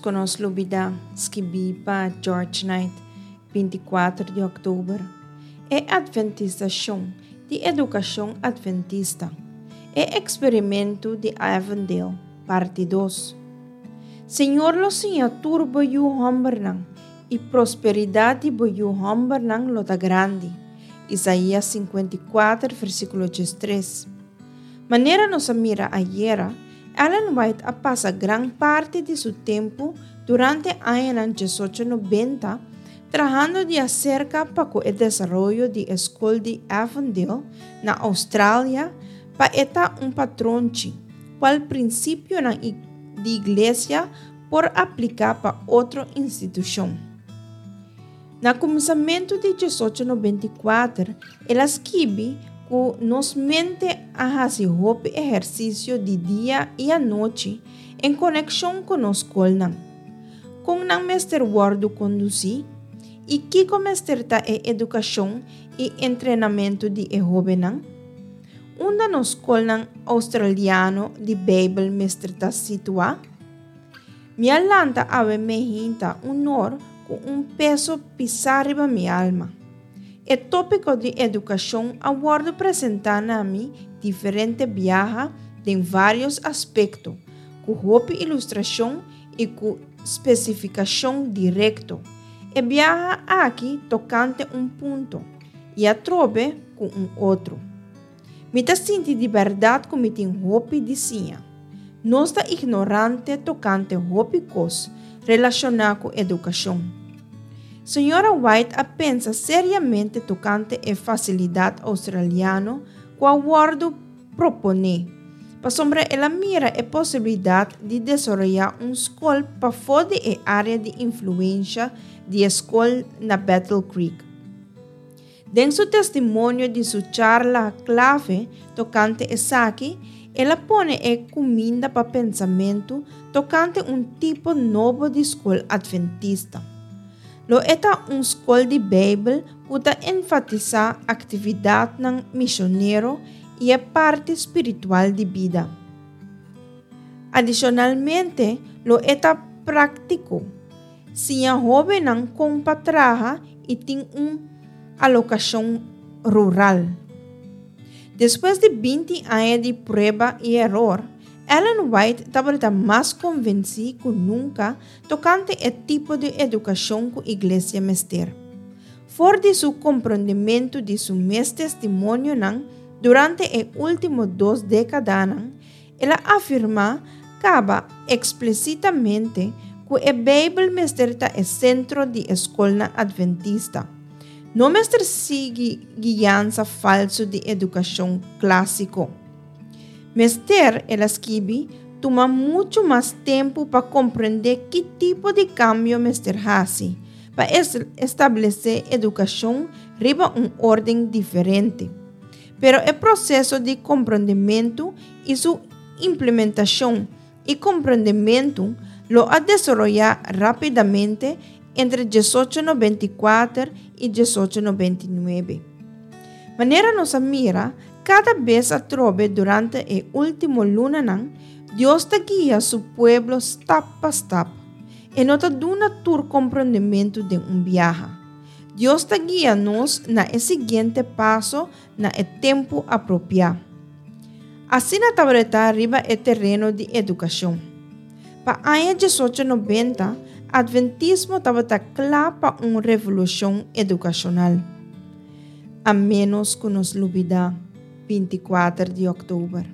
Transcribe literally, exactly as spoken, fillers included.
ku nos lubidá, skibí pa George Knight, binti kuater di òktober. E Adventisashon di Edukashon Adventista, E Eksperimentu di Avondale, Parti dos. Señor lo siña tur bo yu hòmbernan, i prosperidat di bo yu hòmbernan lo ta grandi. Isaías sinkuenta i kuater, versíkulo diestres. Manera nos a mira ayera, Ellen White a pasa gran parti di su tempu durante añanan diesocho nobenta trahando di aserka pa ku e desaroyo di e skol di Avondale na Australia pa e ta un patronchi kual prinsipionan di iglesia por apliká pa otro institushon. Na kuminsamentu di diesocho nobenta i kuater el a skibi ku nos mente a hasi hopi ehersisio di dia i anochi en konekshon ku nos skolnan. Kon nan mester wòrdu kondusí? I kiko mester ta e edukashon i entrenamentu di e hóbennan? Unda nos skolnan oustraliano di Beibel mester ta situá? Mi a lanta awe meinta un or ku un peso pisá riba mi alma. E tópiko di edukashon a wòrdu presentá na mi diferente biaha den vários aspekto, ku hopi ilustrashon i ku spesifikashon direkto. E biaha aki tokante un punto i atrobe ku un otro. Mi ta sinti di bèrdat ku mi tin hopi di siña. Nos ta ignorante tokante hopi kos relashoná ku edukashon. Señora White a pensa seriamente tokante e fasilidat oustraliano ku a wòrdu proponé, pasobra el a mira e posibilidat di desaroyá un skol pafó di e área di influensha di e skol na Battle Creek. Den su testimonio di su charla klave tokante esaki, el a pone e kuminda pa pensamentu tokante un tipo nobo di skol adventista. Lo e ta un skol di Beibel ku ta enfatisá aktividatnan mishonero i e parti spiritual di bida. Adishonalmente, lo e ta práktiko, siña hóbennan kon pa traha i tin un alokashon rural. Despues di binti aña di prueba i eror, Ellen White tabata mas konvensí ku nunka tokante e tipo di edukashon ku iglesia mester. For di su komprondementu di su mes testimonionan durante e último dos dékadanan, el a afirmá kaba eksplísitamente ku e Beibel mester ta e sentro di e skolnan adventista. No mester sigui guiansa falsu di edukashon klásiko. Mester, el a skibi, tuma muchu mas tempu pa komprendé ki tipo di kambio mester hasi pa establesé edukashon riba un órden diferente. Pero e proseso di komprondementu i su implementashon i komprondementu lo a desaroyá rápidamente entre diesocho nobenta i kuater i diesocho nobenta i nuebe. Manera nos a mira, kada bes atrobe durante e último lunanan, Dios ta guia su pueblo stap pa stap. E no ta duna tur komprondementu den un biaha. Dios ta guia nos na e siguiente paso na e tempu apropiá. Asina tabata riba e tereno di edukashon. Pa aña diesocho nobenta, Adventismo tabata kla pa un revolushon edukashonal. A ménos ku nos lubidá, binti kuater di òktober.